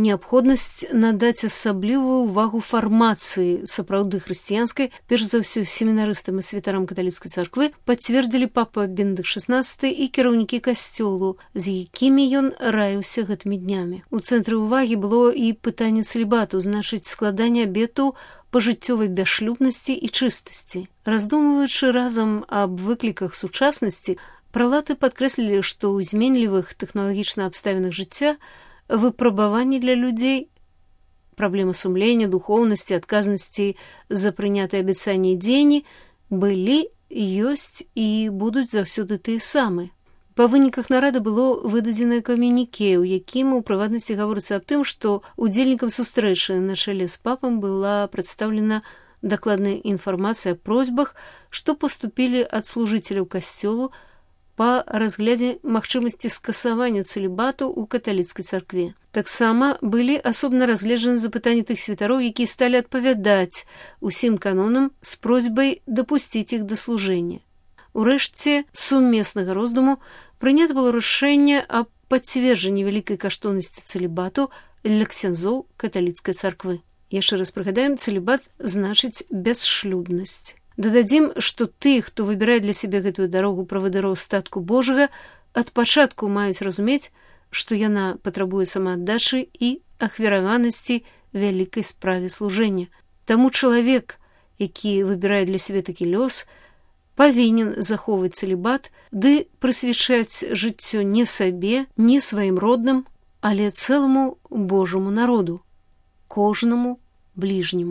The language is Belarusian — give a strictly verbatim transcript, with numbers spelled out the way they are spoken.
неабходнасць надаць асаблівую ўвагу фармацыі сапраўды хрысціянскай, перш за ўсё семінарыстам і святарам каталіцкай царквы, пацвердзілі папа Бенедыкт шаснаццаты і кіраўнікі касцёлу, з якімі ён раіўся гэтымі днямі. У цэнтры ўвагі было і пытанне цэлібату, значыць складанне абету пажыццёвай бясшлюбнасці і чыстасці. Раздумваючы разам аб выкліках сучаснасці, пралаты падкрэслілі, што ў зменлівых тэхналагічна абставінах жыцця выпрабаванні для людзей, праблемы сумлення, духоўнасці, адказнасці за прынятыя абяцанні і дзеянні былі, ёсць і будуць заўсёды тыя самыя. Па выніках нарада было выдадзенае камюніке, у якім у прыватнасці гаворыцца аб тым, што удзельнікам сустрэчы на чале з папам была прадстаўлена дакладная інфармацыя аб просьбах, што паступілі ад служыцеляў касцёлу па разглядзе магчымасці скасавання цэлібату ў каталіцкай царкве. Таксама былі асобна разгледжаны запытанні тых святароў, якія сталі адпавядаць усім канонам з просьбай дапусціць іх да служэння. Урэшце сумеснага роздуму прынята было рашэнне аб пацверджанні вялікай каштоўнасці цэлібату для ксяндзоў каталіцкай царквы. Яшчэ раз прыгадаем, цэлібат значыць бясшлюбнасць. Дададзім, што тых, хто выбірае для сябе гэтую дарогу правадыроў статку Божага, ад пачатку маюць разумець, што яна патрабуе самааддачы і ахвяраванасці вялікай справе служэння. Таму чалавек, які выбірае для сябе такі лёс, павінен захоўваць цэлібат ды прысвячаць жыццё не сабе, не сваім родным, але цэламу Божаму народу, кожнаму бліжняму.